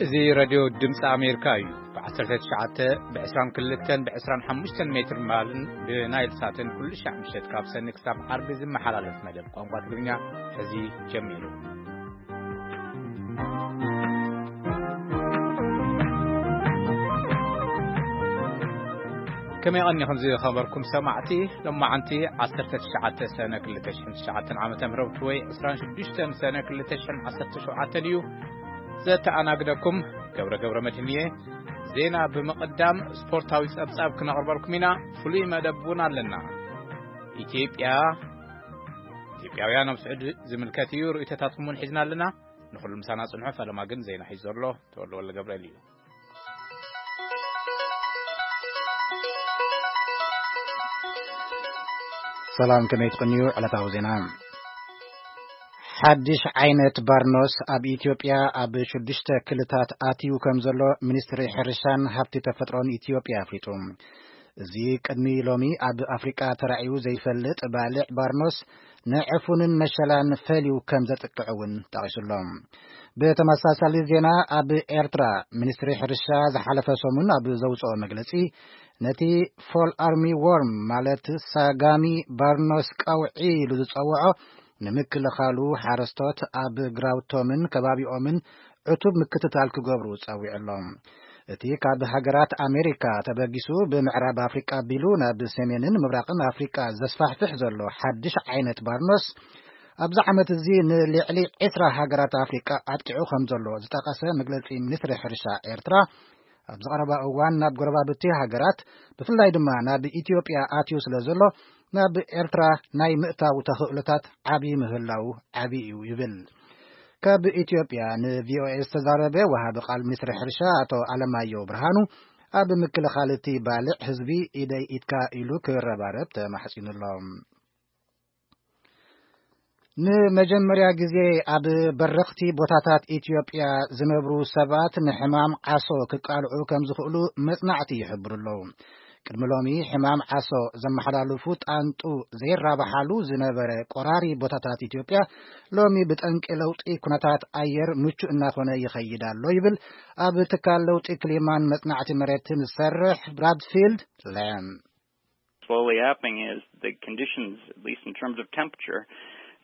እዚ ሬድዮ ድምፂ ኣሜሪካ እዩ። ብ19፣ ብ22፣ ብ25 ሜትር ባንድን ብናይል ሳትን ኩሉ ሻዕ ምሸት ካብ ሰኒ ክሳብ ዓርቢ ዝመሓላለፍ መደብ ቋንቋ ትግርኛ ሕዚ ጀሚሩ። ከመይ ቀኒኹም ዝኸበርኩም ሰማዕቲ? ሎማዓንቲ 19 ሰነ 2009 ዓመተ ምህረት ወይ 26 ሰነ 2017 እዩ። ዘተኣናግደኩም ገብረ ገብረ መድህን እየ። ዜና ብምቕዳም ስፖርታዊ ጸብጻብ ክነቕርበልኩም ኢና። ፍሉይ መደብ እውን ኣለና። ኢትዮጵያ፣ ኢትዮጵያውያን ኣብ ስዑዲ ዝምልከት እዩ። ርእይቶታትኩም እውን ሒዝና ኣለና። ንኹሉ ምሳና ጽንሑ። ፈለማ ግን ዜና ሒዙ ዘሎ ተወልደ ወልደ ገብርኤል እዩ። ሰላም፣ ከመይ ትቕንዩ? ዕለታዊ ዜና። ሓድሽ ዓይነት ባርኖስ ኣብ ኢትዮጵያ ኣብ ሽዱሽተ ክልታት ኣትዩ ከም ዘሎ ሚኒስትሪ ሕርሻን ሃብቲ ተፈጥሮን ኢትዮጵያ ኣፍሊጡ። እዚ ቅድሚ ሎሚ ኣብ ኣፍሪቃ ተራእዩ ዘይፈልጥ ባልዕ ባርኖስ ንዕፉንን መሸላን ፈልዩ ከም ዘጥቅዕ እውን ጠቒሱሎ። ብተመሳሳሊ ዜና፣ ኣብ ኤርትራ ሚኒስትሪ ሕርሻ ዝሓለፈ ሰሙን ኣብ ዘውፅኦ መግለፂ፣ ነቲ ፎል ኣርሚ ዎርም ማለት ሳጋሚ ባርኖስ ቀውዒ ኢሉ ዝፀውዖ ንምክልኻሉ ሓረስቶት ኣብ ግራውቶምን ከባቢኦምን ዕቱብ ምክትታል ክገብሩ ጸዊዑ ኣሎ። እቲ ካብ ሃገራት ኣሜሪካ ተበጊሱ ብምዕራብ ኣፍሪቃ ኣቢሉ ናብ ሰሜንን ምብራቕን ኣፍሪቃ ዘስፋሕፍሕ ዘሎ ሓድሽ ዓይነት ባርኖስ ኣብዚ ዓመት እዚ ንልዕሊ ዕስራ ሃገራት ኣፍሪቃ ኣጥቂዑ ከም ዘሎ ዝጠቐሰ መግለጺ ሚኒስትሪ ሕርሻ ኤርትራ፣ ኣብዚ ቀረባ እዋን ናብ ጎረባብቲ ሃገራት ብፍላይ ድማ ናብ ኢትዮጵያ ኣትዩ ስለ ዘሎ ናብ ኤርትራ ናይ ምእታው ተኽእሎታት ዓቢ ምህላው ዓቢ እዩ ይብል። ካብ ኢትዮጵያ ንቪኦኤ ዝተዛረበ ወሃቢ ቃል ሚኒስትሪ ሕርሻ ኣቶ ኣለማየሁ ብርሃኑ፣ ኣብ ምክልኻል እቲ ባልዕ ህዝቢ ኢደይ ኢድካ ኢሉ ክረባረብ ተማሕጺኑ ኣሎ። ንመጀመርያ ግዜ ኣብ በረኽቲ ቦታታት ኢትዮጵያ ዝነብሩ ሰባት ንሕማም ዓሶ ክቃልዑ ከም ዝኽእሉ መጽናዕቲ ይሕብሩ ኣለዉ። ቅድሚ ሎሚ ሕማም ዓሶ ዘመሓላልፉ ጣንጡ ዘይራባሓሉ ዝነበረ ቆራሪ ቦታታት ኢትዮጵያ ሎሚ ብጠንቂ ለውጢ ኩነታት ኣየር ምቹእ እናኾነ ይኸይድ ኣሎ ይብል ኣብ ትካል ለውጢ ክሊማን መጽናዕቲ መሬትን ዝሰርሕ ብራድፊልድ ለም። Slowly happening is the conditions, at least in terms of temperature,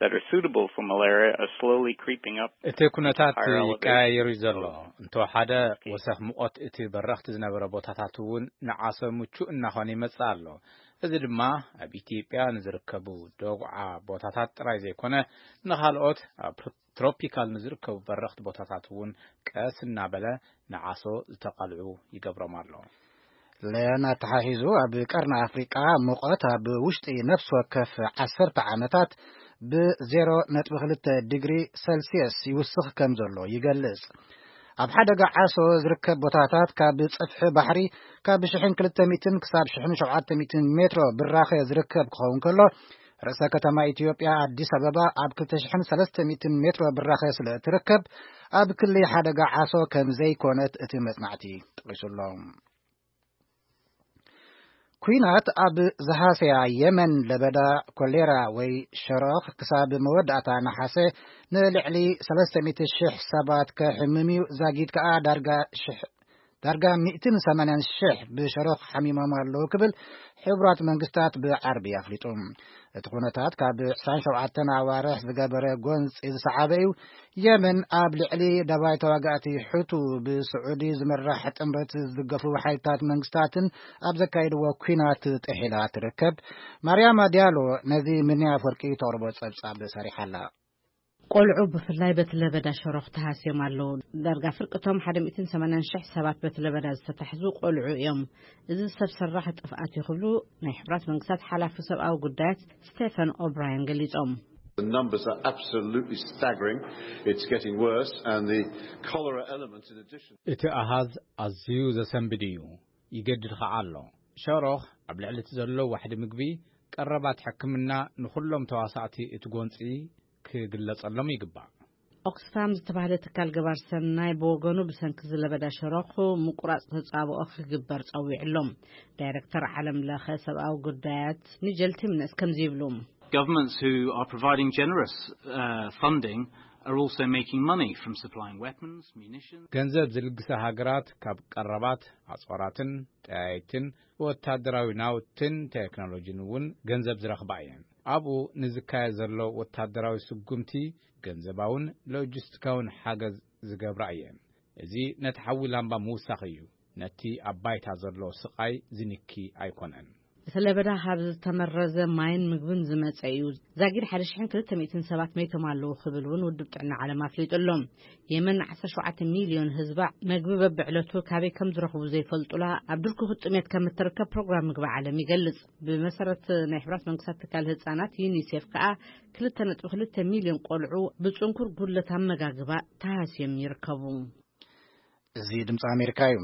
that are suitable for malaria are slowly creeping up. እቲ ኩነታት ይቀያየር እዩ ዘሎ። እንተወሓደ ወሰኽ ሙቐት እቲ በረኽቲ ዝነበረ ቦታታት እውን ንዓሶ ምቹእ እናኾነ ይመጽእ ኣሎ። እዚ ድማ ኣብ ኢትዮጵያ ንዝርከቡ ደጉዓ ቦታታት ጥራይ ዘይኮነ፣ ንኻልኦት ኣብ ትሮፒካል ንዝርከቡ በረኽቲ ቦታታት እውን ቀስ እናበለ ንዓሶ ዝተቓልዑ ይገብሮም ኣሎ። ለያን ኣተሓሒዙ፣ ኣብ ቀርኒ ኣፍሪቃ ሙቐት ኣብ ውሽጢ ነፍሲ ወከፍ ዓሰርተ ዓመታት ብ0.2 ዲግሪ ሰልስየስ ይውስኽ ከም ዘሎ ይገልጽ። ኣብ ሓደጋ ዓሶ ዝርከብ ቦታታት ካብ ጽፍሒ ባሕሪ ካብ 1,200 ክሳብ 1,700 ሜትሮ ብራኸ ዝርከብ ክኸውን ከሎ፣ ርእሰ ከተማ ኢትዮጵያ ኣዲስ ኣበባ ኣብ 2,300 ሜትሮ ብራኸ ስለ እትርከብ፣ ኣብ ክሊ ሓደጋ ዓሶ ከም ዘይኮነት እቲ መጽናዕቲ ጠቒሱ ኣሎ። ኲናት ኣብ ዝሃሰያ የመን ለበዳ ኮሌራ ወይ ሸሮኽ ክሳብ መወዳእታ ነሓሰ ንልዕሊ 300,000 ሰባት ከሕምም እዩ፣ ዛጊድ ከኣ ዳርጋ ሽሕ-፣ ዳርጋ 180,000 ብሸሮኽ ሓሚሞም ኣለዉ ክብል ሕቡራት መንግስታት ብዓርቢ ኣፍሊጡ። እቲ ኩነታት ካብ 27 ኣዋርሕ ዝገበረ ጎንጺ ዝሰዓበ እዩ። የመን ኣብ ልዕሊ ደባይ ተዋጋእቲ ሑቱ ብስዑዲ ዝምራሕ ጥምረት ዝድገፉ ሓይልታት መንግስታትን ኣብ ዘካየድዎ ኲናት ጥሒላ ትርከብ። ማርያማ ዲያሎ ነዚ ምንያ ኣፈወርቂ ተቕርቦ ጸብጻብ ሰሪሓ ኣላ። ቆልዑ ብፍላይ በቲ ለበዳ ሸሮኽ ተሃስዮም ኣለዉ። ዳርጋ ፍርቅቶም 180,000 ሰባት በቲ ለበዳ ዝተታሕዙ ቆልዑ እዮም። እዚ ሰብ ሰራሕ ጥፍኣት እዩ ክብሉ ናይ ሕቡራት መንግስታት ሓላፊ ሰብኣዊ ጉዳያት ስቴፈን ኦብራያን ገሊጾም። The numbers are absolutely staggering. It's getting worse, and the cholera element, in addition. እቲ ኣሃዝ ኣዝዩ ዘሰንብድ እዩ። ይገድድ ኸዓ ኣሎ። ሸሮኽ ኣብ ልዕሊ እቲ ዘሎ ዋሕዲ ምግቢ፣ ቀረባት ሕክምና፣ ንኹሎም ተዋሳእቲ እቲ ጎንጺ ክግለጸሎም ይግባእ። ኦክስፋም ዝተባህለ ትካል ገባር ሰናይ ብወገኑ፣ ብሰንኪ ዝለበዳ ሸሮኽ ምቁራጽ ተጻብኦ ክግበር ጸዊዑ ኣሎ። ዳይረክተር ዓለም ለኸ ሰብኣዊ ጉዳያት ኒጀል ቲምነስ ከምዚ ይብሉ። Governments who are providing generous, uh, funding are also making money from supplying weapons, munitions. ገንዘብ ዝልግሳ ሃገራት ካብ ቀረባት ኣጽዋራትን ጠያይትን ወታደራዊ ናውትን ቴክኖሎጂን እውን ገንዘብ ዝረኽባ እየን። ኣብኡ ንዝካየድ ዘሎ ወታደራዊ ስጉምቲ ገንዘባውን ሎጂስቲካውን ሓገዝ ዝገብራ እየን። እዚ ነቲ ሓዊ ላምባ ምውሳኽ እዩ። ነቲ ኣብ ባይታ ዘሎ ስቓይ ዝንኪ ኣይኮነን። እቲ ለበዳ ካብ ዝተመረዘ ማይን ምግብን ዝመጸ እዩ። ዛጊድ ሓደ ሽሕን ክልተ ሚእትን ሰባት መይቶም ኣለዉ ክብል እውን ውድብ ጥዕና ዓለም ኣፍሊጡ ኣሎ። የመን ዓሰርተ ሸውዓተ ሚልዮን ህዝባ መግቢ በብዕለቱ ካበይ ከም ዝረኽቡ ዘይፈልጡላ ኣብ ድርኩኹት ጥሜት ከም እትርከብ ፕሮግራም ምግቢ ዓለም ይገልጽ። ብመሰረት ናይ ሕብራት መንግስታት ትካል ህጻናት ዩኒሴፍ ከኣ ክልተ ነጥቢ ክልተ ሚልዮን ቆልዑ ብጽንኩር ጉድለት ኣመጋግባ ተሃስዮም ይርከቡ። እዚ ድምፂ ኣሜሪካ እዩ።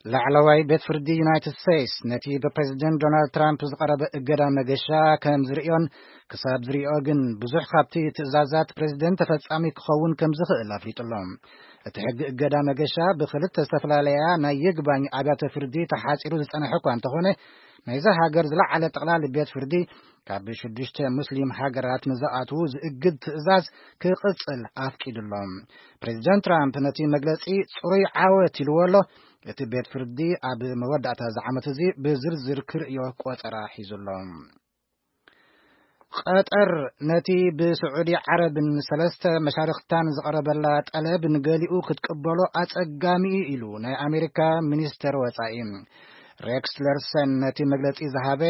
ላዕለዋይ ቤት ፍርዲ ዩናይትድ ስቴትስ ነቲ ብፕሬዚደንት ዶናልድ ትራምፕ ዝቐረበ እገዳ መገሻ ከም ዝርእዮን ክሳብ ዝርእዮ ግን ብዙሕ ካብቲ ትእዛዛት ፕሬዚደንት ተፈጻሚ ክኸውን ከም ዝኽእል ኣፍሊጡ ኣሎ። እቲ ሕጊ እገዳ መገሻ ብክልተ ዝተፈላለያ ናይ ይግባኝ ኣብያተ ፍርዲ ተሓጺሩ ዝጸንሐ እኳ እንተኾነ፣ ናይዛ ሃገር ዝለዓለ ጠቕላሊ ቤት ፍርዲ ካብ ሽዱሽተ ሙስሊም ሃገራት ንዝኣትዉ ዝእግድ ትእዛዝ ክቕጽል ኣፍቂዱ ኣሎ። ፕሬዚደንት ትራምፕ ነቲ መግለጺ ጽሩይ ዓወት ኢልዎ ኣሎ። እቲ ቤት ፍርዲ ኣብ መወዳእታ እዚ ዓመት እዚ ብዝርዝር ክርእዮ ቆጸራ ሒዙ ኣሎ። ቀጠር ነቲ ብስዑዲ ዓረብን ሰለስተ መሻርኽታን ዝቐረበላ ጠለብ ንገሊኡ ክትቅበሎ ኣጸጋሚ እዩ ኢሉ ናይ ኣሜሪካ ሚኒስተር ወጻኢ። ሬክስ ለርሰን ነቲ መግለጺ ዝሃበ፣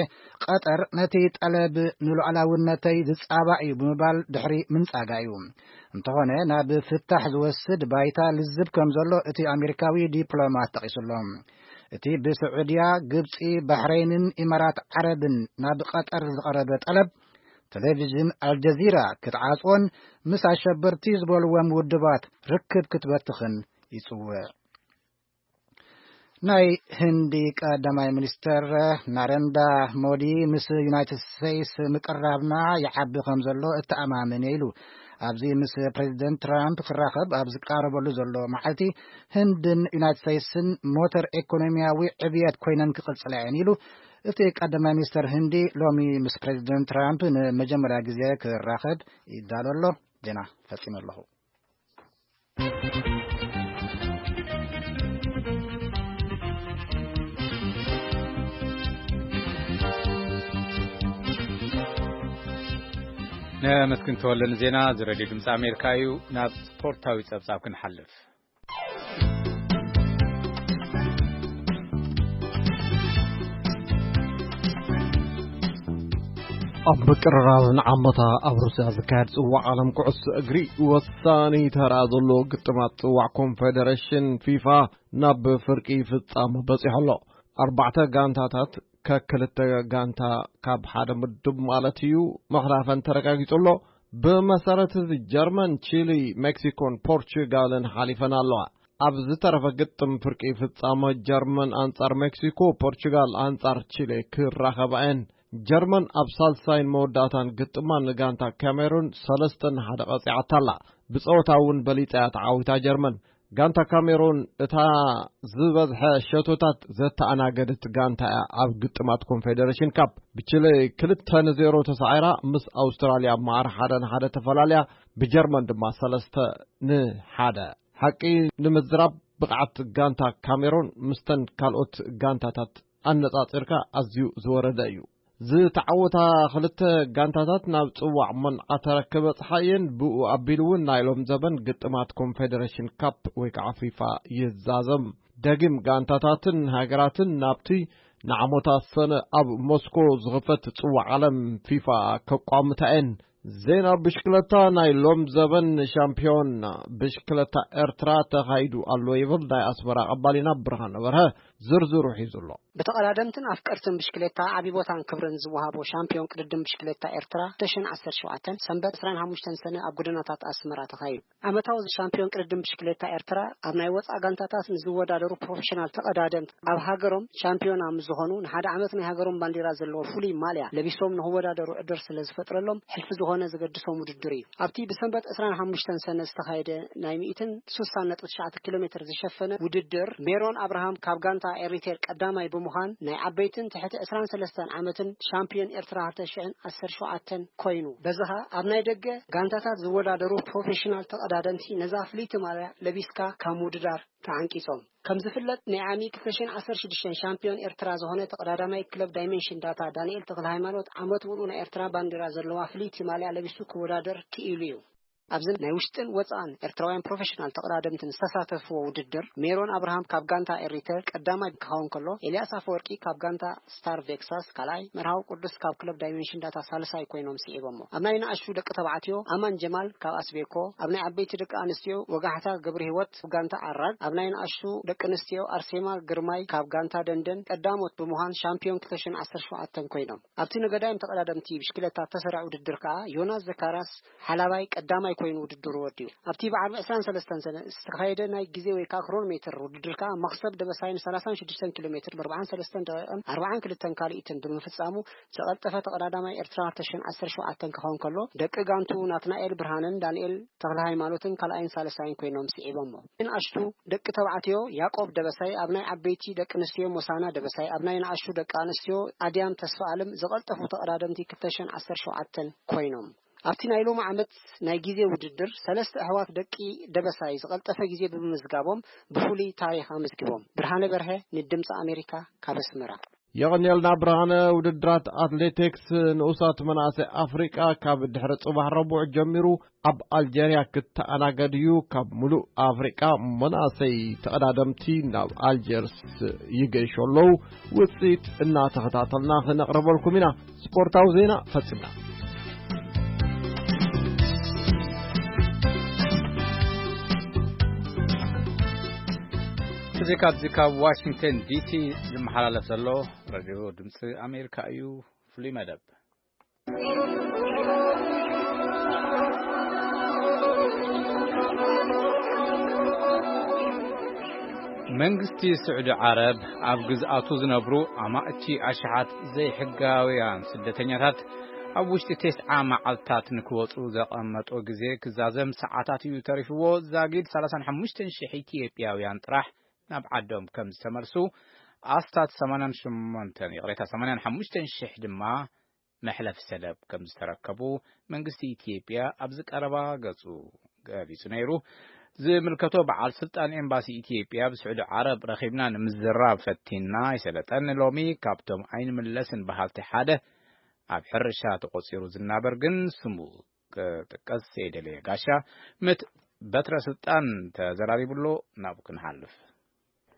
ቀጠር ነቲ ጠለብ ንሉዓላውነተይ ዝጻባእ እዩ ብምባል ድሕሪ ምንጻጋ እዩ። እንተኾነ ናብ ፍታሕ ዝወስድ ባይታ ልዝብ ከም ዘሎ እቲ ኣሜሪካዊ ዲፕሎማት ጠቒሱ ኣሎ። እቲ ብስዑድያ፣ ግብጺ፣ ባሕረይንን ኢማራት ዓረብን ናብ ቀጠር ዝቐረበ ጠለብ፣ ቴሌቪዥን ኣልጀዚራ ክትዓጽዎን ምስ ኣሸበርቲ ዝበልዎም ውድባት ርክብ ክትበትኽን ይጽውዕ። ናይ ህንዲ ቀዳማይ ሚኒስተር ናረንዳ ሞዲ ምስ ዩናይትድ ስቴትስ ምቅራብና ይዓቢ ከም ዘሎ እተኣማመን እየ ኢሉ። ኣብዚ ምስ ፕሬዚደንት ትራምፕ ክራኸብ ኣብ ዝቃረበሉ ዘሎ መዓልቲ፣ ህንድን ዩናይትድ ስቴትስን ሞተር ኢኮኖሚያዊ ዕብየት ኮይነን ክቕጽላ እየን ኢሉ። እቲ ቀዳማይ ሚኒስተር ህንዲ ሎሚ ምስ ፕሬዚደንት ትራምፕ ንመጀመርያ ግዜ ክራኸብ ይዳሎ ኣሎ። ዜና ፈጺመ ኣለኹ። ነመስግን ተወለ ንዜና እዚ ሬድዮ ድምፂ ኣሜሪካ እዩ። ናብ ስፖርታዊ ጸብጻብ ክንሓልፍ። ኣብ ምቅርራብ ንዓመታ ኣብ ሩስያ ዝካየድ ጽዋዕ ዓለም ኩዕሶ እግሪ ወሳኒ ተራ ዘለዎ ግጥማት ጽዋዕ ኮንፌደሬሽን ፊፋ ናብ ፍርቂ ፍጻመ በጺሑ ኣሎ። ኣርባዕተ ጋንታታት ከክልተ ጋንታ ካብ ሓደ ምድብ ማለት እዩ ምሕላፈን ተረጋጊጹ ኣሎ። ብመሰረት እዚ ጀርመን፣ ቺሊ፣ ሜክሲኮን ፖርቹጋልን ሓሊፈን ኣለዋ። ኣብ ዝተረፈ ግጥም ፍርቂ ፍጻመ ጀርመን ኣንጻር ሜክሲኮ፣ ፖርቹጋል ኣንጻር ቺሌ ክራኸባ እየን። ጀርመን ኣብ ሳልሳይን መወዳእታን ግጥማ ንጋንታ ካሜሩን ሰለስተ ንሓደ ቀጺዓታ ኣላ። ብጸወታ እውን በሊጻ እያ ተዓዊታ ጀርመን። ጋንታ ካሜሩን እታ ዝበዝሐ ሸቶታት ዘተኣናገደት ጋንታ እያ ኣብ ግጥማት ኮንፌደሬሽን ካፕ። ብቺለ ክልተ ንዜሮ ተሳዒራ ምስ ኣውስትራልያ ኣብ መዓር ሓደ ንሓደ ተፈላልያ፣ ብጀርመን ድማ ሰለስተ ንሓደ። ሓቂ ንምዝራብ ብቕዓት ጋንታ ካሜሩን ምስተን ካልኦት ጋንታታት ኣነጻጺርካ ኣዝዩ ዝወረደ እዩ። ዝተዓወታ ክልተ ጋንታታት ናብ ጽዋዕ መንዓ ተረክ በጽሓ እየን። ብኡ ኣቢሉ እውን ናይ ሎም ዘበን ግጥማት ኮንፌደሬሽን ካፕ ወይ ከዓ ፊፋ ይዛዘም። ደጊም ጋንታታትን ሃገራትን ናብቲ ንዓሞታት ሰነ ኣብ ሞስኮ ዝኽፈት ጽዋዕ ዓለም ፊፋ ከቋምታ እየን። ዜና ብሽክለታ። ናይ ሎም ዘበን ሻምፒዮን ብሽክለታ ኤርትራ ተኻይዱ ኣሎ ይብል ናይ ኣስመራ ቀባሊና ብርሃነ በርሀ ዝርዝሩ ሒዙ ኣሎ። ብተቐዳደምትን ኣፍቀርትን ብሽክሌታ ዓቢ ቦታን ክብርን ዝወሃቦ ሻምፒዮን ቅድድም ብሽክሌታ ኤርትራ ክልተ ሽሕን ዓሰርተ ሸውዓተን ሰንበት ዕስራን ሓሙሽተን ሰነ ኣብ ጎደናታት ኣስመራ ተኻይዱ። ዓመታዊ ሻምፒዮን ቅድድም ብሽክሌታ ኤርትራ ኣብ ናይ ወጻኢ ጋንታታት ንዝወዳደሩ ፕሮፌሽናል ተቐዳደምቲ ኣብ ሃገሮም ሻምፒዮና ምስ ዝኾኑ ንሓደ ዓመት ናይ ሃገሮም ባንዲራ ዘለዎ ፍሉይ ማልያ ለቢሶም ንክወዳደሩ ዕድል ስለ ዝፈጥረሎም ሕልፊ ዝኾነ ዘገድሶም ውድድር እዩ። ኣብቲ ብሰንበት ዕስራን ሓሙሽተን ሰነ ዝተኻየደ ናይ ሚእትን ስሳን ነጥቢ ትሽዓተ ኪሎ ሜትር ዝሸፈነ ውድድር ሜሮን ኣብርሃም ካብ ጋንታ ኤሪቴር ቀዳማይ ብምዃን ናይ ዓበይትን ትሕቲ ዕስራን ሰለስተን ዓመትን ሻምፒዮን ኤርትራ ክልተ ሽሕን ዓሰርተ ሸውዓተን ኮይኑ። በዚ ኸኣ ኣብ ናይ ደገ ጋንታታት ዝወዳደሩ ፕሮፌሽናል ተቐዳደምቲ ነዛ ፍልይቲ ማልያ ለቢስካ ካብ ምውድዳር ተዓንቂጾም። ከም ዝፍለጥ ናይ ዓሚ ክልተ ሽሕን ዓሰርተ ሽዱሽተን ሻምፒዮን ኤርትራ ዝኾነ ተቐዳዳማይ ክለብ ዳይሜንሽን ዳታ ዳንኤል ተኽለ ሃይማኖት ዓመት ሙሉእ ናይ ኤርትራ ባንዲራ ዘለዋ ፍልይቲ ማልያ ለቢሱ ክወዳደር ክኢሉ እዩ። ኣብዚ ናይ ውሽጥን ወጻእን ኤርትራውያን ፕሮፌሽናል ተቐዳደምትን ዝተሳተፍዎ ውድድር፣ ሜሮን ኣብርሃም ካብ ጋንታ ኤሪተር ቀዳማይ ክኸውን ከሎ፣ ኤልያስ ኣፈወርቂ ካብ ጋንታ ስታር ቬክሳስ ካልኣይ፣ መርሃዊ ቅዱስ ካብ ክለብ ዳይሜንሽን ዳታ ሳልሳይ ኮይኖም ስዒቦሞ። ኣብ ናይ ንኣሽቱ ደቂ ተባዕትዮ፣ ኣማን ጀማል ካብ ኣስቤኮ፣ ኣብ ናይ ዓበይቲ ደቂ ኣንስትዮ፣ ወጋሕታ ገብረ ህይወት ጋንታ ዓራግ፣ ኣብ ናይ ንኣሽቱ ደቂ ኣንስትዮ፣ ኣርሴማ ግርማይ ካብ ጋንታ ደንደን ቀዳሞት ብምዃን ሻምፒዮን ክልተ ሽሕን ዓሰርተ ሸውዓተን ኮይኖም። ኣብቲ ንገዳይም ተቐዳደምቲ ብሽክለታ እተሰርዐ ውድድር ከኣ ዮናስ ዘካራስ ሓላባይ ቀዳማይ ኮይኑ ውድድሩ ወዲኡ። ኣብቲ ብዓርቢ ዕስራን ሰለስተን ሰነ ዝተኻየደ ናይ ግዜ ወይ ከኣ ክሮኖሜትር ውድድር ከኣ መኽሰብ ደበሳይ ን ሰላሳን ሽዱሽተን ኪሎ ሜትር ብ ኣርባዓን ሰለስተን ደቂቕን ኣርባዓን ክልተን ካልኢትን ብምፍጻሙ ዝቐልጠፈ ተቐዳዳማይ ኤርትራ ክልተ ሽሕን ዓሰርተ ሸውዓተን ክኸውን ከሎ፣ ደቂ ጋንቱ ናትናኤል ብርሃንን ዳንኤል ተኽለ ሃይማኖትን ካልኣይን ሳልሳይን ኮይኖም ስዒቦሞ። ንኣሽቱ ደቂ ተባዕትዮ ያዕቆብ ደበሳይ፣ ኣብ ናይ ዓበይቲ ደቂ ኣንስትዮ ሞሳና ደበሳይ፣ ኣብ ናይ ንኣሽቱ ደቂ ኣንስትዮ ኣድያም ተስፋኣለም ዝቐልጠፉ ተቐዳደምቲ ክልተ ሽሕን ዓሰርተ ሸውዓተን ኮይኖም። ኣብቲ ናይ ሎሚ ዓመት ናይ ግዜ ውድድር ሰለስተ ኣሕዋት ደቂ ደበሳይ ዝቐልጠፈ ግዜ ብምምዝጋቦም ብፍሉይ ታሪኽ ኣመዝጊቦም። ብርሃነ በርሀ ንድምፂ ኣሜሪካ ካብ ኣስመራ። የቐንየልና ብርሃነ። ውድድራት ኣትሌቲክስ ንኡሳት መናእሰይ ኣፍሪቃ ካብ ድሕሪ ጽባሕ ረቡዕ ጀሚሩ ኣብ ኣልጀርያ ክተኣናገድ እዩ። ካብ ሙሉእ ኣፍሪቃ መናእሰይ ተቐዳደምቲ ናብ ኣልጀርስ ይገይሹ ኣለዉ። ውጽኢት እናተኸታተልና ክነቕርበልኩም ኢና። ስፖርታዊ ዜና ፈጺምና። እዚ ካብዚ ካብ ዋሽንግተን ዲሲ ዝመሓላለፍ ዘሎ ሬድዮ ድምፂ ኣሜሪካ እዩ። ፍሉይ መደብ። መንግስቲ ስዑዲ ዓረብ ኣብ ግዝኣቱ ዝነብሩ ኣማእቲ ኣሽሓት ዘይሕጋውያን ስደተኛታት ኣብ ውሽጢ ተስዓ መዓልታት ንክወፁ ዘቐመጦ ግዜ ክዛዘም ሰዓታት እዩ ተሪፍዎ። ዛጊድ ሰላሳን ሓሙሽተን ሽሕ ኢትዮጵያውያን ጥራሕ ናብ ዓዶም ከም ዝተመልሱ፣ ኣስታት ሰማንያን ሸሞንተን፣ ይቕሬታ፣ ሰማንያን ሓሙሽተን ሽሕ ድማ መሕለፊ ሰደብ ከም ዝተረከቡ መንግስቲ ኢትዮጵያ ኣብዚ ቀረባ ገጹ ገሊጹ ነይሩ። ዝምልከቶ በዓል ስልጣን ኤምባሲ ኢትዮጵያ ብስዑዲ ዓረብ ረኺብና ንምዝራብ ፈቲና ኣይሰለጠን። ሎሚ ካብቶም ኣይንምለስን በሃልቲ ሓደ ኣብ ሕርሻ ተቖጺሩ ዝናበር ግን ስሙ ክጥቀስ ዘይደለየ ጋሻ ምስ በትረ ስልጣን ተዘራሪቡ ኣሎ። ናብኡ ክንሓልፍ።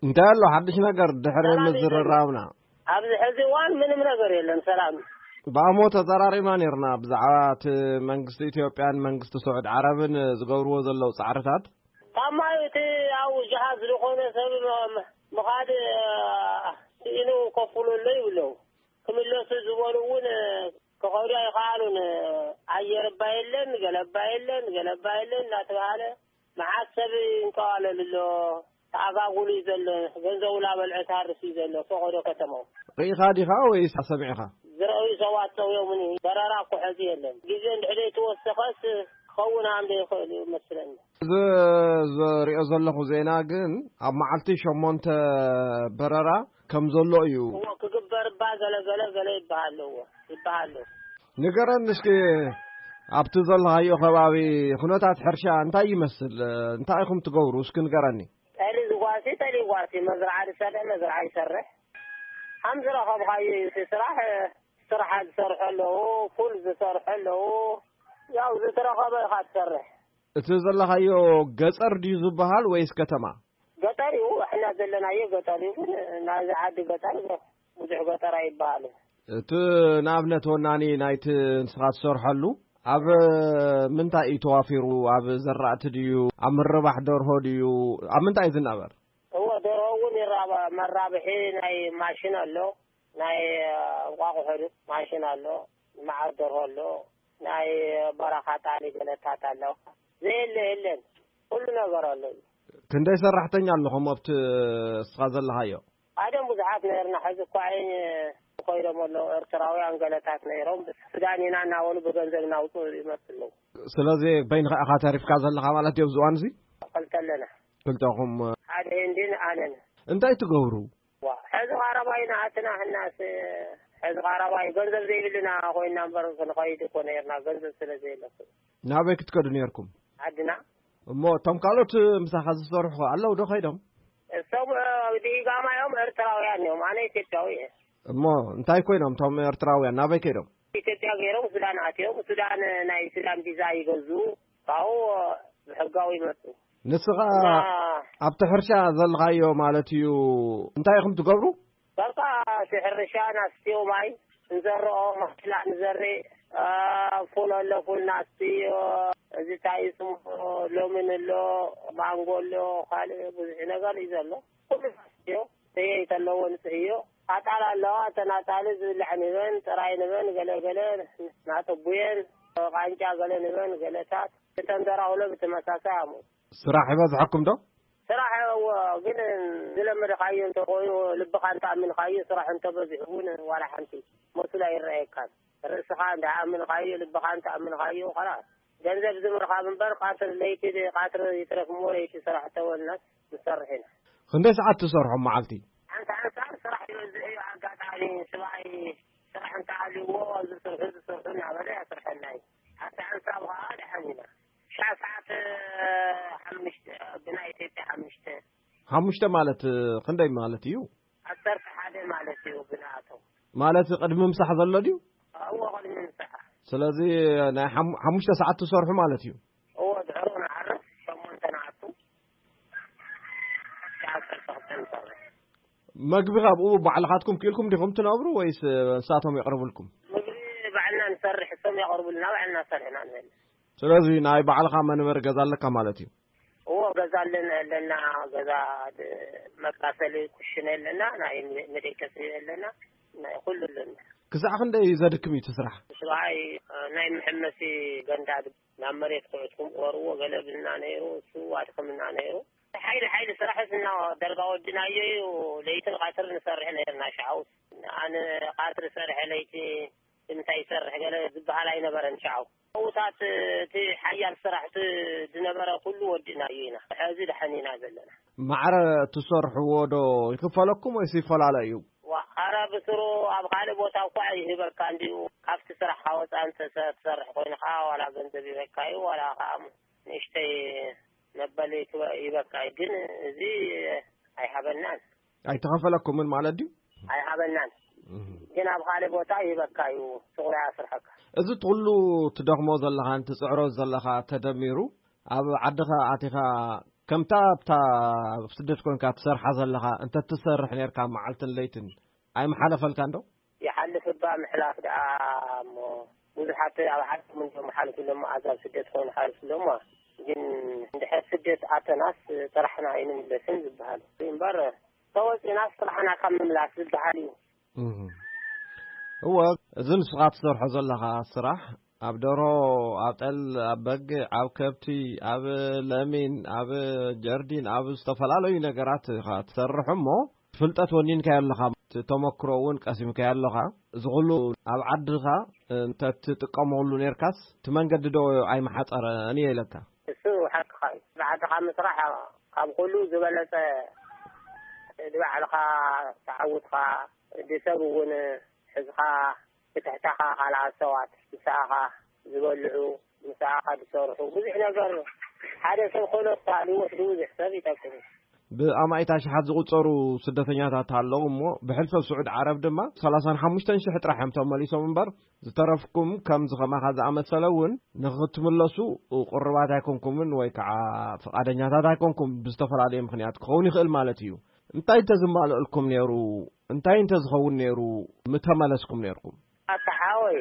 እንታይ ኣሎ ሓድሽ ነገር ድሕሪ ሰላም እዩ ምዝርራብና? ኣብዚ ሕዚ እዋን ምንም ነገር የለን፣ ሰላም። ብኣሞ ተዘራሪብና ነይርና ብዛዕባ እቲ መንግስቲ ኢትዮጵያን መንግስቲ ስዑድ ዓረብን ዝገብርዎ ዘለዉ ጻዕርታት። ካብ ማይ እቲ ኣብኡ ጀሃዝ ዝኾነ ሰብ ም-፣ ምኻድ፣ እ፣ ስኢኑ ከፍሉ ኣሎ ይብለው። ክምለሱ ዝበሉ እውን ክኸዱ ኣይኸኣሉን። ኣየር እባ የለን፣ ገለ እባ የለን፣ ገለ እባ የለን እናተባሃለ መዓት ሰብ ይንቀዋለል ኣሎ። ተኣጋጉሉ እዩ ዘሎ። ገንዘቡ ላበልዐ ታርፍ እዩ ዘሎ። ፈቐዶ ከተማው። ርኢኻ ዲኻ ወይስ ሰሚዕኻ? ዝረኣዩ ሰባት ጠውዮምኒ። በረራ እኮ ሕዚ የለን። ግዜ እንድሕር ዘይተወሰኸስ ክኸውን ኣም ዘይኽእል እዩ መስለኒ። እዚ ዝሪኦ ዘለኹ ዜና ግን ኣብ መዓልቲ ሸሞንተ በረራ ከም ዘሎ እዩ። እዎ፣ ክግበር እባ ገለ ገለ ገለ ይበሃል ኣለዎ፣ ይበሃል ኣለዎ። ንገረኒ እስኪ፣ ኣብቲ ዘለኻዮ ከባቢ ኩነታት ሕርሻ እንታይ ይመስል? እንታይ ኢኹም ትገብሩ? እስኪ ንገረኒ። ጠሊ ዝጓሲ፣ ጠሊ ይጓሲ፣ መዝርዓ ዝሰርሕ፣ መዝርዓ ይሰርሕ። ከም ዝረኸብካዮ እዩ እቲ ስራሕ። ስራሕ ዝሰርሑ ኣለዉ፣ ፉል ዝሰርሑ ኣለዉ። ያው ዝተረኸበ ኢኻ ትሰርሕ። እቲ ዘለኻዮ ገጠር ድዩ ዝበሃል ወይስ ከተማ? ገጠር እዩ፣ እሕና ዘለናዮ ገጠር እዩ፣ ግን ናይዚ ዓዲ ገጠር ብዙሕ ገጠር ኣይበሃልን። እቲ ንኣብነት ወናኒ ናይቲ ንስኻ ትሰርሐሉ ኣብ ምንታይ እዩ ተዋፊሩ? ኣብ ዘራእቲ ድዩ? ኣብ ምርባሕ ደርሆ ድዩ? ኣብ ምንታይ እዩ ዝናበር? እወ፣ ደርሆ እውን ይራባ-፣ መራብሒ ናይ ማሽን ኣሎ፣ ናይ እንቋቑሖ ማሽን ኣሎ፣ መዓር ደርሆ ኣሎ፣ ናይ በረኻ ጣሊ ገለታት ኣለዋ። ዘየለ የለን፣ ኩሉ ነገር ኣሎ እዩ። ክንደይ ሰራሕተኛ ኣለኹም ኣብቲ እስኻ ዘለኻዮ? ኣደም ብዙሓት ነርና፣ ሕዚ እኳ ዓይን ኮይዶም ኣለዉ። ኤርትራውያን ገለታት ነይሮም፣ ሱዳን ኢና እናበሉ ብገንዘብ እናውፅኡ ይመፁ ኣለዉ። ስለዚ በይንኻ ኢኻ ተሪፍካ ዘለኻ ማለት እዩ ኣብዚ እዋን እዚ? ክልተ ኣለና። ክልተኹም? ሓደ ህንዲን ኣነን። እንታይ ትገብሩ? ዋ፣ ሕዚ ቓረባይ ንኣትና ሕናስ፣ ሕዚ ቓረባይ ገንዘብ ዘይብልና ኮይና እምበር ክንኸይድ እኮ ነርና፣ ገንዘብ ስለ ዘየለኩ። ናበይ ክትከዱ ነርኩም? ዓድና። እሞ እቶም ካልኦት ምሳኻ ዝሰርሑ ኣለዉ ዶ ከይዶም? እሶም ዲጋማ እዮም፣ ኤርትራውያን እዮም፣ ኣነ ኢትዮጵያዊ እየ። እሞ እንታይ ኮይኖም እቶም ኤርትራውያን፣ ናበይ ከይዶም? ኢትዮጵያ ገይሮም ሱዳን ኣትዮም፣ ሱዳን ናይ ሱዳን ቪዛ ይገዝኡ፣ ካብኡ ብሕጋዊ ይመፁ። ንስኻ እና ኣብቲ ሕርሻ ዘለኻዮ ማለት እዩ፣ እንታይ ኢኹም ትገብሩ? በቃ እቲ ሕርሻ ናስትዮ ማይ ንዘርኦ፣ ማሽላ ንዘርእ፣ ፉል ኣሎ፣ ፉል ናስትዮ፣ እዚ እንታይ እዩ ስሙ፣ ሎሚን ኣሎ፣ ማንጎ ኣሎ፣ ካልእ ብዙሕ ነገር እዩ ዘሎ። ኩሉ ናስትዮ ዘየይተ ኣለዎ፣ ንፅህዮ ኣጣል ኣለዋ። እተን ኣጣል ዝብላዕ ንበን፣ ጥራይ ንበን፣ ገለ ገለ ናጠቡየን፣ ቃንጫ ገለ ንበን፣ ገለታት እተን ደራውሎ ብተመሳሳይ ኣሙ። ስራሕ ይበዝሐኩም ዶ? ስራሕ እዎ፣ ግን ዝለመድኻዮ እንተኾይኑ፣ ልብኻ እንተኣሚንካዮ፣ ስራሕ እንተበዚሑ እውን ዋላ ሓንቲ መስሉ ኣይረኣየካን። ርእስኻ እንተኣሚንካዮ፣ ልብኻ እንተኣሚንካዮ፣ ኸላስ ገንዘብ ዝምርኻብ እምበር፣ ቃትር ለይቲ ቃትር ይትረፍ እሞ፣ ለይቲ ስራሕ ተወልናስ ንሰርሕ ኢና። ክንደይ ሰዓት ትሰርሑ መዓልቲ? ሓንቲ ሓንሳብ ስራሕ ይበዝሕ እዩ። ኣጋጣሚ ስብኣይ ስራሕ እንተሃልይዎ፣ ዝሰርሑ ዝሰርሑ እናበለ ያስርሐና እዩ። ሓንቲ ሓንሳብ ኸዓ ደሓን ኢና። ሻዕ ሰዓት ሓሙሽተ፣ ብናይ ኢትዮጵያ ሓሙሽተ። ሓሙሽተ ማለት ክንደይ ማለት እዩ? ዓሰርተ ሓደ ማለት እዩ ብንኣቶም። ማለት ቅድሚ ምሳሕ ዘሎ ድዩ? እዎ፣ ቅድሚ ምሳሕ። ስለዚ ናይ ሓሙ-፣ ሓሙሽተ ሰዓት ትሰርሑ ማለት እዩ? እዎ፣ ድሕሩ ንዓርፍ ሸሞንተ ንኣቱ። ሻዕ ዓሰርተ ክልተ ንሰርሕ። መግቢ ካብኡ ባዕልኻትኩም ክኢልኩም ዲኹም ትነብሩ ወይስ ንሳቶም የቕርብልኩም? ምግቢ ባዕልና ንሰርሕ፣ እሶም የቕርቡልና፣ ባዕልና ሰርሕና ንበልዕ። ስለዚ ናይ ባዕልኻ መንበሪ ገዛ ኣለካ ማለት እዩ? እዎ፣ ገዛ ኣለና፣ ኣለና። ገዛ ድ-፣ መቃሰሊ ኩሽነ ኣለና፣ ናይ መ-፣ መደቀሲ ኣለና፣ ናይ ኩሉ ኣለና። ክሳዕ ክንደይ ዘድክም እዩ እቲ ስራሕ? ስራይ ናይ መሐመሲ ገንዳ ድ-፣ ናብ መሬት ኩዕትኩም ቁረርዎ ገለ ብልና ነይሩ፣ እሱ ኣድክምና ነይሩ። ሓይሊ ሓይሊ ስራሕ እና ደርጋ ወድናዮ እዩ። ለይትን ቃትር ንሰርሕ ነይርና። ሻውስ ኣነ ቃትር ሰርሐ ለይቲ እንታይ ይሰርሕ ገለ ዝበሃል ኣይነበረን። ሻው ሰውታት እቲ ሓያል ስራሕቲ ዝነበረ ኩሉ ወዲእናዮ ኢና። ሕዚ ደሓን ኢና ዘለና። ማዕረ ትሰርሕዎ ዶ ይክፈለኩም ወይስ ይፈላለ እዩ? ዋ፣ ኣረ ብስሩ ኣብ ካልእ ቦታ እኳ ይህበካ እንዲዩ። ካብቲ ስራሕካ ወፃእ እንተ ትሰርሕ ኮይንካ ዋላ ገንዘብ ይበካ እዩ፣ ዋላ ከዓ ንእሽተይ መበሊ ክበ-፣ ይበካ እዩ። ግን እዚ ኣይሃበናን። ኣይተኸፈለኩምን ማለት ድዩ? ኣይሃበናን። እህ። ግን ኣብ ካልእ ቦታ ይህበካ እዩ፣ ሱቕ ላይ ኣስርሐካ። እዚ ኩሉ ትደኽሞ ዘለኻን ትጽዕሮ ዘለኻ ተደሚሩ፣ ኣብ ዓድኻ ኣቲኻ ከምታ ኣብታ ኣብ ስደት ኮንካ ትሰርሓ ዘለኻ እንተ ትሰርሕ ነርካ መዓልትን ለይትን ኣይምሓለፈልካን ዶ? ይሓልፍ እባ ምሕላፍ ደኣ እሞ ብዙሓት ኣብ ዓዶም እንዲኦም ሓልፍሎም፣ ኣዛብ ስደት ኮይኑ ሓልፍሎም። ግን እንድሕር ስደት ኣተናስ ጥራሕና ኣይንምለስን ዝበሃል እምበር፣ ተወፂናስ ጥራሕና ካብ ምምላስ ዝበሃል እዩ። እህ። እወ፣ እዚ ንስኻ ትሰርሖ ዘለኻ ስራሕ ኣብ ደርሆ፣ ኣብ ጠል፣ ኣብ በግዕ፣ ኣብ ከብቲ፣ ኣብ ለሚን፣ ኣብ ጀርዲን፣ ኣብ ዝተፈላለዩ ነገራት ኢኻ ትሰርሕ እሞ፣ ፍልጠት ወኒንካዮ ኣለኻ፣ እቲ ተመክሮ እውን ቀሲምካዮ ኣለኻ። እዚ ኩሉ ኣብ ዓድኻ እንተትጥቀመሉ ኔርካስ፣ እቲ መንገዲ ዶ ኣይምሓጸረን እየ ኢለካ። እሱ ሓቅኻ እዩ። ብዓድኻ ምስራሕ ካብ ኩሉ ዝበለጸ፣ ንባዕልኻ ተዓውትኻ፣ ንሰብ እውን ሕዝኻ፣ ብትሕተኻ ካልኣት ሰባት ምሳኻ ዝበልዑ፣ ምሳኻ ዝሰርሑ፣ ብዙሕ ነገር ሓደ ሰብ ኮነ ተሃልዩ ወስዱ ብዙሕ ሰብ ይጠቅም እዩ። ብኣማኢት ኣሽሓት ዝቑጸሩ ስደተኛታት ኣለዉ እሞ፣ ብሕልፈ ስዑድ ዓረብ ድማ ሰላሳን ሓሙሽተን ሽሕ ጥራሕ እዮም ተመሊሶም እምበር፣ ዝተረፍኩም ከምዚ ከማኻ ዝኣመሰለ እውን ንኽትምለሱ ቁርባት ኣይኮንኩምን ወይ ከዓ ፍቓደኛታት ኣይኮንኩም፣ ብዝተፈላለየ ምኽንያት ክኸውን ይኽእል ማለት እዩ። እንታይ እንተዝማልእልኩም ነይሩ፣ እንታይ እንተዝኸውን ነይሩ ምተመለስኩም ነይርኩም? ኣታ ሓወይ፣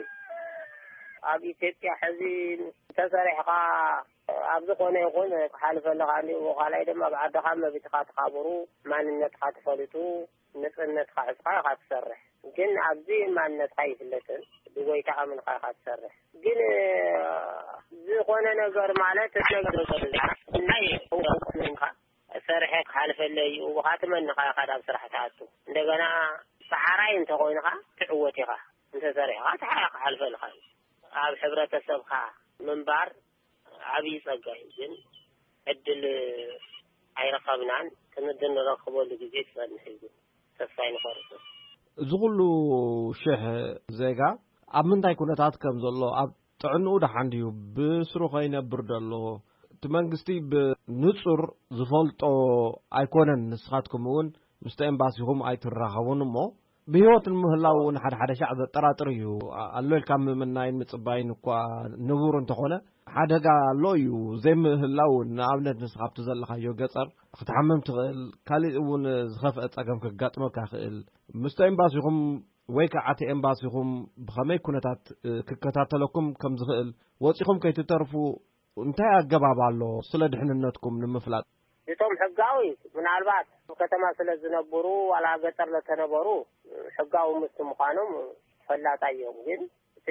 ኣብ ኢትዮጵያ ሕዚ እንተሰሪሕኻ ኣብ ዝኾነ ይኹን ክሓልፈለኻ እንዲሁ፣ ካልኣይ ድማ ኣብ ዓድኻ መቢትኻ ትኻብሩ፣ ማንነትኻ ትፈልጡ፣ ንጽህነትካ ሒዝካ ኢኻ ትሰርሕ። ግን ኣብዚ ማንነትካ ይፍለጥን ብጎይታ ኣምንካ ኢኻ ትሰርሕ። ግን ዝኾነ ነገር ማለት ነገር ናይ ሰሪሐ ክሓልፈለይ እዩ። ብኻ ትመንኻ ኢኻ ናብ ስራሕ ትኣቱ። እንደገና ሰዓራይ እንተኾይንኻ ትዕወት ኢኻ። እንተሰሪሕኻ ትሓ-፣ ክሓልፈልካ እዩ። ኣብ ሕብረተሰብካ ምንባር ዓብዪ ጸጋ እዩ። ግን ዕድል ኣይረኸብናን። ክንዲ ንረኽበሉ ግዜ ክጸንሕ እዩ። ተስፋ ኣይንቆርጽ። እዚ ኩሉ ሽሕ ዜጋ ኣብ ምንታይ ኩነታት ከም ዘሎ፣ ኣብ ጥዕንኡ ደሓን ድዩ፣ ብስሩ ከይነብር ደሎ፣ እቲ መንግስቲ ብንጹር ዝፈልጦ ኣይኮነን። ንስኻትኩም እውን ምስቲ ኤምባሲኹም ኣይትራኸቡን እሞ፣ ብህይወት ንምህላው እውን ሓደ ሓደ ሻዕ ዘጠራጥር እዩ። ኣሎ ኢልካ ምምናይን ምጽባይን እኳ ንቡር እንተኾነ፣ ሓደጋ ኣሎ እዩ። ዘይምህላው እውን፣ ንኣብነት ንስኻ ኣብቲ ዘለኻዮ ገጸር ክትሓምም ትኽእል፣ ካሊእ እውን ዝኸፍአ ጸገም ከጋጥመካ ይኽእል። ምስቲ ኤምባሲኹም ወይ ከዓ እቲ ኤምባሲኹም ብኸመይ ኩነታት ክከታተለኩም ከም ዝኽእል፣ ወጺኹም ከይትተርፉ እንታይ ኣገባብ ኣሎ ስለ ድሕንነትኩም ንምፍላጥ? እቶም ሕጋዊ ምናልባት ኣብ ከተማ ስለ ዝነብሩ ዋላ ገጠር ለተነበሩ ሕጋዊ ምስቲ ምዃኖም ፈላጣ እዮም። ግን እቲ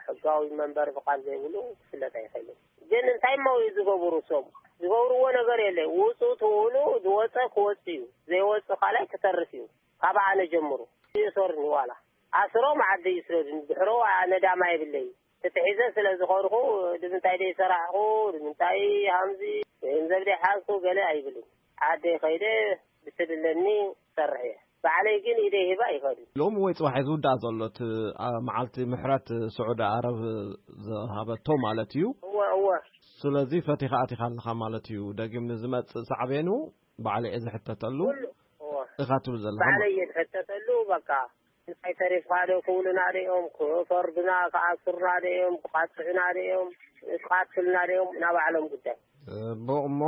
ሕጋዊ መንበሪ ፍቓድ ዘይብሉ ክፍለጥ ኣይኽእልን። ግን እንታይ እሞ እዩ ዝገብሩ? እሶም ዝገብርዎ ነገር የለ። ውፁ ትውሉ ዝወፀ ክወፅ እዩ፣ ዘይወፅ ካልኣይ ክተርፍ እዩ። ካብ ኣነ ጀምሩ ይእሰሩኒ፣ ዋላ ኣስሮም ዓዲ ይስደዱኒ። ድሕሮ ኣነ ዳማ የብለይ። ተተሒዘ ስለ ዝኾንኩ፣ ንምንታይ ደይ ሰራሕኹ፣ ንምንታይ ሃምዚ ገንዘብ ደይ ሓዝኩ ገለ ኣይብልን። ዓደይ ከይደ ብትድለኒ ሰርሕ እየ። ባዕለይ ግን ኢደይ ሂባ ይኸዱ። ሎሚ ወይ ጽባሕ እዩ ዝውዳእ ዘሎ እቲ፣ ኣ፣ መዓልቲ ምሕረት ስዑዲ ዓረብ ዝሃበቶ ማለት እዩ። እወ፣ እወ። ስለዚ ፈቲኻ ኣቲኻ ኣለኻ ማለት እዩ። ደጊም ንዝመጽእ ሳዕቤኑ ባዕለይ እየ ዝሕተተሉ ኩሉ፣ እወ። ኢኻ ትብል ዘለኻ። ባዕለይ እየ ዝሕተተሉ። በቃ እንታይ ተሪፍካ ዶ ክብሉና ድዮም፣ ክፈርዱና፣ ክኣስሩና ድዮም፣ ክቃጥዑና ድዮም፣ ክቃትሉና ድዮም፣ ናባዕሎም ጉዳይ። ጽቡቕ እሞ፣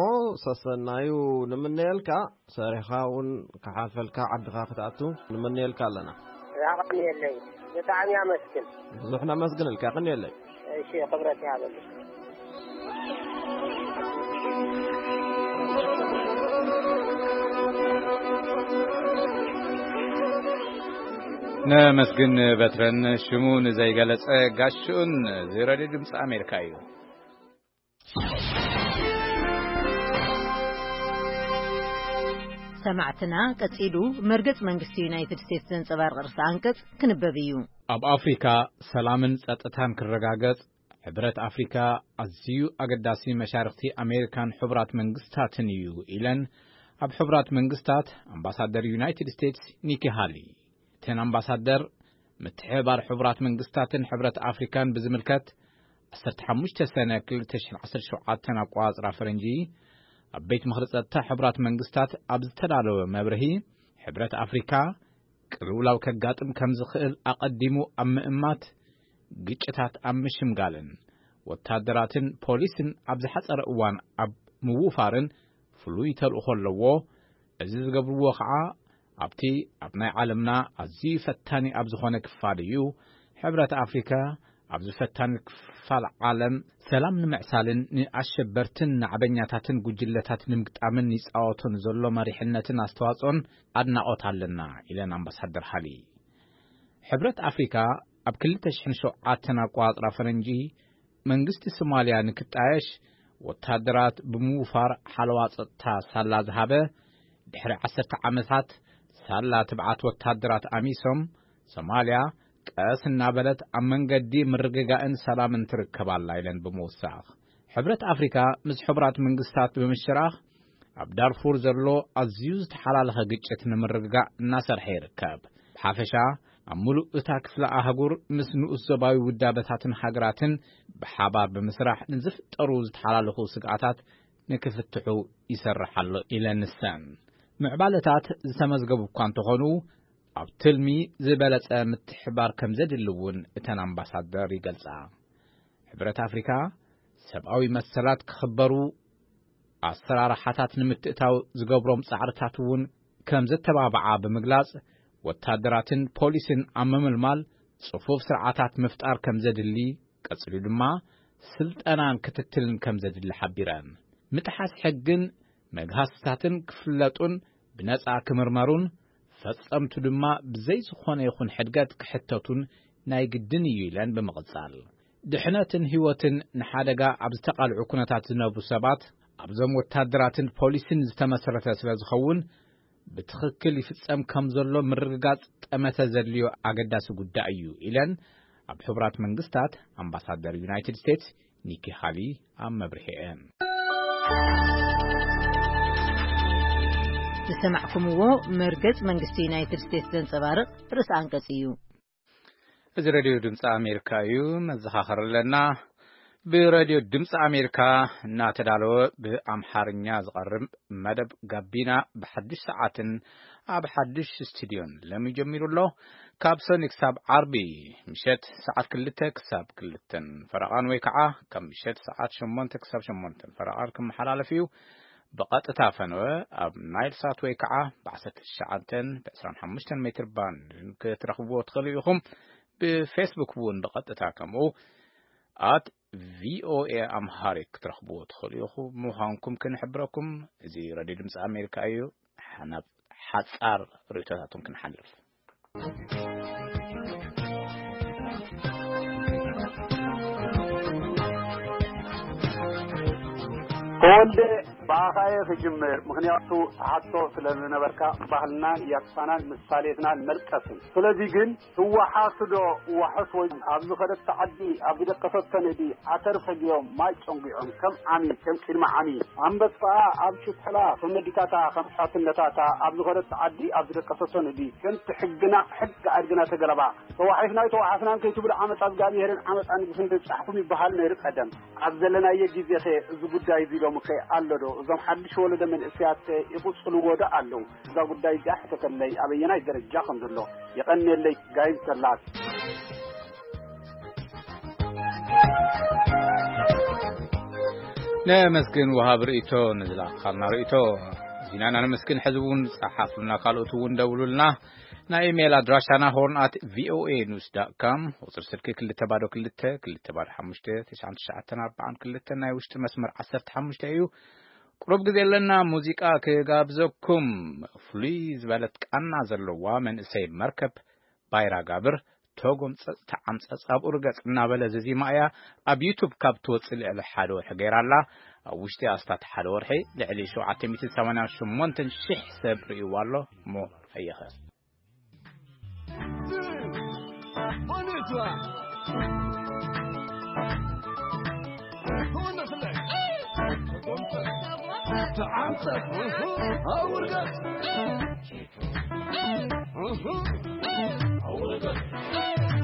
ሰሰናዩ ንምነየልካ፣ ሰሪሕኻ እውን ክሓልፈልካ፣ ዓድኻ ክትኣቱ ንምነየልካ ኣለና። ራቕኒ የለይ። ብጣዕሚ ኣመስግን። ብዙሕ ነመስግነልካ፣ የቐንየለይ። እሺ፣ ክብረት ይሃበልኝ። ነመስግን በትረን ሽሙ ንዘይገለጸ ጋሽኡን፣ እዚ ሬድዮ ድምፂ ኣሜሪካ እዩ። ሰማዕትና፣ ቀጺሉ መርገጽ መንግስቲ ዩናይትድ ስቴትስ ዘንጸባርቕ ርእሰ ኣንቀጽ ክንበብ እዩ። ኣብ ኣፍሪካ ሰላምን ጸጥታን ክረጋገጽ ሕብረት ኣፍሪካ ኣዝዩ ኣገዳሲ መሻርኽቲ ኣሜሪካን ሕቡራት መንግስታትን እዩ ኢለን ኣብ ሕቡራት መንግስታት ኣምባሳደር ዩናይትድ ስቴትስ ኒኪ ሃሊ። እተን ኣምባሳደር ምትሕብባር ሕቡራት መንግስታትን ሕብረት ኣፍሪካን ብዝምልከት ዓሰርተ ሓሙሽተ ሰነ ክልተ ሽሕን ዓሰርተ ሸውዓተን ኣቆጻጽራ ፈረንጂ ኣብ ቤት ምኽሪ ጸጥታ ሕቡራት መንግስታት ኣብ ዝተዳለወ መብርሂ፣ ሕብረት ኣፍሪካ ቅልውላው ከጋጥም ከም ዝኽእል ኣቐዲሙ ኣብ ምእማት፣ ግጭታት ኣብ ምሽምጋልን ወታደራትን ፖሊስን ኣብ ዝሓጸረ እዋን ኣብ ምውፋርን ፍሉይ ተልእኾ ኣለዎ። እዚ ዝገብርዎ ኸዓ ኣብቲ ኣብ ናይ ዓለምና ኣዝዩ ፈታኒ ኣብ ዝኾነ ክፋል እዩ። ሕብረት ኣፍሪካ ኣብዚ ፈታኒ ክፋል ዓለም ሰላም ንምዕሳልን ንኣሸበርትን ናዕበኛታትን ጉጅለታት ንምግጣምን ይጻወቶ ንዘሎ መሪሕነትን ኣስተዋጽኦን ኣድናቖት ኣለና ኢለን ኣምባሳደር ሃሊ። ሕብረት ኣፍሪካ ኣብ ክልተ ሽሕን ሸውዓተን ኣቆጻጽራ ፈረንጂ መንግስቲ ሶማልያ ንክጣየሽ ወታደራት ብምውፋር ሓለዋ ጸጥታ ሳላ ዝሃበ፣ ድሕሪ ዓሰርተ ዓመታት ሳላ ትብዓት ወታደራት ኣሚሶም፣ ሶማልያ ቀስ እናበለት ኣብ መንገዲ ምርግጋእን ሰላምን ትርከብ ኣላ ኢለን ብምውሳኽ፣ ሕብረት ኣፍሪካ ምስ ሕቡራት መንግስታት ብምሽራኽ ኣብ ዳርፉር ዘሎ ኣዝዩ ዝተሓላለኸ ግጭት ንምርግጋእ እናሰርሐ ይርከብ። ብሓፈሻ ኣብ ምሉእ እታ ክፍለ ኣህጉር ምስ ንኡስ ዞባዊ ውዳበታትን ሃገራትን ብሓባር ብምስራሕ ንዝፍጠሩ ዝተሓላለኹ ስግኣታት ንክፍትሑ ይሰርሕ ኣሎ ኢለን ንሰን። ምዕባለታት ዝተመዝገቡ እኳ እንተኾኑ፣ ኣብ ትልሚ ዝበለጸ ምትሕባር ከም ዘድሊ እውን እተን ኣምባሳደር ይገልጻ። ሕብረት ኣፍሪካ ሰብኣዊ መሰላት ክኽበሩ፣ ኣሰራርሓታት ንምትእታው ዝገብሮም ጻዕርታት እውን ከም ዘተባብዓ ብምግላጽ፣ ወታደራትን ፖሊስን ኣብ ምምልማል ጽፉፍ ስርዓታት ምፍጣር ከም ዘድሊ፣ ቀጺሉ ድማ ስልጠናን ክትትልን ከም ዘድሊ ሓቢረን። ምጥሓስ ሕግን መግሃስታትን ክፍለጡን ብነጻ ክምርመሩን ፈጸምቱ ድማ ብዘይ ዝኾነ ይኹን ሕድገት ክሕተቱን ናይ ግድን እዩ ኢለን ብምቕጻል፣ ድሕነትን ህይወትን ንሓደጋ ኣብ ዝተቓልዑ ኩነታት ዝነብሩ ሰባት ኣብዞም ወታደራትን ፖሊስን ዝተመሰረተ ስለ ዝኸውን ብትኽክል ይፍጸም ከም ዘሎ ምርግጋጽ ጠመተ ዘድልዮ ኣገዳሲ ጉዳይ እዩ ኢለን ኣብ ሕቡራት መንግስታት ኣምባሳደር ዩናይትድ ስቴትስ ኒኪ ሃሊ ኣብ መብርሒአን። ዝሰማዕኩምዎ መርገጽ መንግስቲ ዩናይትድ ስቴትስ ዘንጸባርቕ ርእሰ ኣንቀጽ እዩ። እዚ ሬድዮ ድምፂ ኣሜሪካ እዩ። መዘኻኸር ኣለና። ብሬድዮ ድምፂ ኣሜሪካ እናተዳለወ ብኣምሓርኛ ዝቐርብ መደብ ጋቢና ብሓዱሽ ሰዓትን ኣብ ሓዱሽ ስቱድዮን ለሚ ጀሚሩ ኣሎ። ካብ ሰኒ ክሳብ ዓርቢ ምሸት ሰዓት ክልተ ክሳብ ክልተን ፈረቓን ወይ ከዓ ካብ ምሸት ሰዓት ሸሞንተ ክሳብ ሸሞንተን ፈረቓን ክመሓላለፍ እዩ። ብቐጥታ ፈነወ ኣብ ናይል ሳት ወይ ከዓ ብ19 ብ25 ሜትር ባንድ ክትረኽብዎ ትኽእሉ ኢኹም። ብፌስቡክ እውን ብቐጥታ ከምኡ ኣት ቪኦኤ ኣምሃሪክ ክትረኽብዎ ትኽእሉ ኢኹም ምዃንኩም ክንሕብረኩም። እዚ ሬድዮ ድምፂ ኣሜሪካ እዩ። ናብ ሓፃር ርእቶታቱን ክንሓልፍ። ተወልደ፣ ብኣኻየ ክጅምር፣ ምኽንያቱ ትሓቶ ስለ ዝነበርካ፣ ባህልናን ያትፋናን ምሳሌትናን መልቀስን። ስለዚ ግን፣ ትወሓሱ ዶ ዋሕስ ወይ ኣብ ዝኸደቶ ዓዲ፣ ኣብ ዝደቀሰቶ ንእዲ፣ ዓተር ፈጊኦም፣ ማይ ጨንጒዖም፣ ከም ዓሚ፣ ከም ቅድሚ ዓሚ፣ ኣንበጣ ኣብ ሽትሕላ፣ ከም መዲታታ፣ ከም ሓትነታታ፣ ኣብ ዝኸደቶ ዓዲ፣ ኣብ ዝደቀሰቶ ንእዲ፣ ከምቲ ሕግና፣ ሕጊ ኣድግና ተገለባ፣ ተዋሒስናይ ተዋሓስናን ከይትብሉ ዓመፃ እግዚኣብሄርን ዓመፃ ንጉስን ደብፃሕኩም ይበሃል ነይሩ ቀደም። ኣብ ዘለናዮ ግዜኸ እዚ ጉዳይ እዚ ሎምኸ ኣሎ ዶ? እዞም ሓድሽ ወለዶ መንእሰያትኸ ይቕፅልዎ ዶ ኣለዉ? እዛ ጉዳይ እዚኣ ሕተተለይ ኣበየናይ ደረጃ ከም ዘሎ። የቐንየለይ ጋይም ሰላት። ነመስግን ወሃብ ርእይቶ ንዝለኣኻልና ርእይቶ። ዚናና ነመስግን። ሕዚ እውን ጸሓፉልና፣ ካልኦት እውን ደውሉልና። ናይ ኢሜይል ኣድራሻና ሆርን ኣት ቪኦኤ ኒውስ ዳት ካም፣ ቁጽሪ ስልኪ ክልተ ባዶ ክልተ ክልተ ባዶ ሓሙሽተ ትሽዓን ትሽዓተን ኣርባዓን ክልተ፣ ናይ ውሽጢ መስመር ዓሰርተ ሓሙሽተ እዩ። ቁሩብ ግዜ ኣለና፣ ሙዚቃ ክጋብዘኩም። ፍሉይ ዝበለት ቃና ዘለዋ መንእሰይ መርከብ ባይራ ጋብር፣ ተጎምፀፅ ተዓምፀፅ ኣብኡ ርገፅ እናበለ ዘዚማ እያ። ኣብ ዩቱብ ካብ ትወፅእ ልዕሊ ሓደ ወርሒ ገይራ ኣላ። ኣብ ውሽጢ ኣስታት ሓደ ወርሒ ልዕሊ ሸውዓተ ሚእትን ሰማንያን ሸሞንተን ሽሕ ሰብ ርእይዋ ኣሎ። እሞ ኣየኸ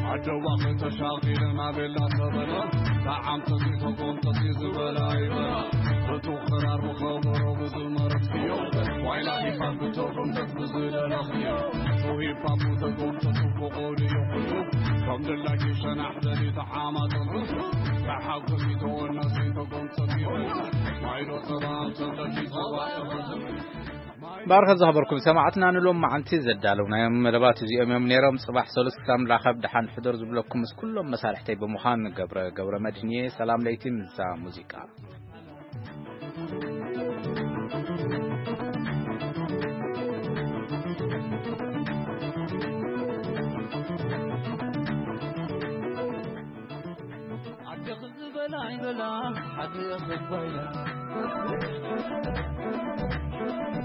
ዓደዋ ከተሻቒለ ናቤላ ተበለ። ተዓምተቲ ተጎምተቲ ዝበላ ይበላ። እቱ ክራር ብኸበሮ ብዝመረትክዮ። ዋይላ ሂፓፕ ተጎምተት ብዝደለኽዮ። ቱ ሂፓፕ ተጎምተት ብቆልዮ ኩሉ። ከም ደላኪ ሸናሕ በሊ ተዓማጠሉ። ተሓጎሲ ተወናሲ ተጎምተት ይበላ። ማይዶ ጸባ ተብለኪ ጸባ ይኸዝም። ባርኸ ዝኸበርኩም ሰማዕትና፣ ንሎም መዓልቲ ዘዳለውናዮም መደባት እዚኦም እዮም ነይሮም። ጽባሕ ሰሉስ ክሳብ ንራኸብ ደሓን ሕደሩ ዝብለኩም ምስ ኩሎም መሳርሕተይ ብምዃን ገብረ፣ ገብረ መድህን እየ። ሰላም ለይቲ ምስዛ ሙዚቃ። ኣደኺ ዝበላ ይበላ፣ ሓቂ የኽባይላ።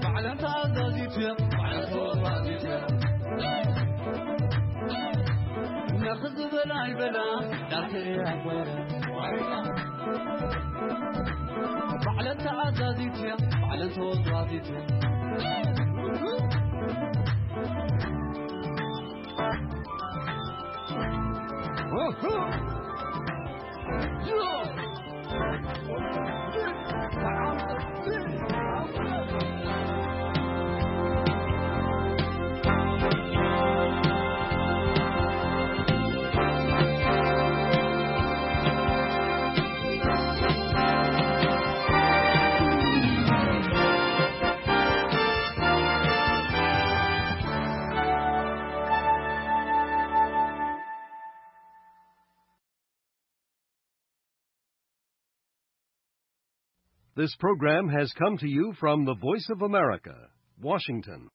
ባዕለን ተኣዛዚት እያ፣ ባዕለን ተወራዚት እያ። ነኺ ዝበላ ይበላ፣ ዳርኪ እያ ጓይላ። ባዕለን ተኣዛዚት እያ፣ ባዕለን ተወራዚት እያ። This program has come to you from the Voice of America, Washington.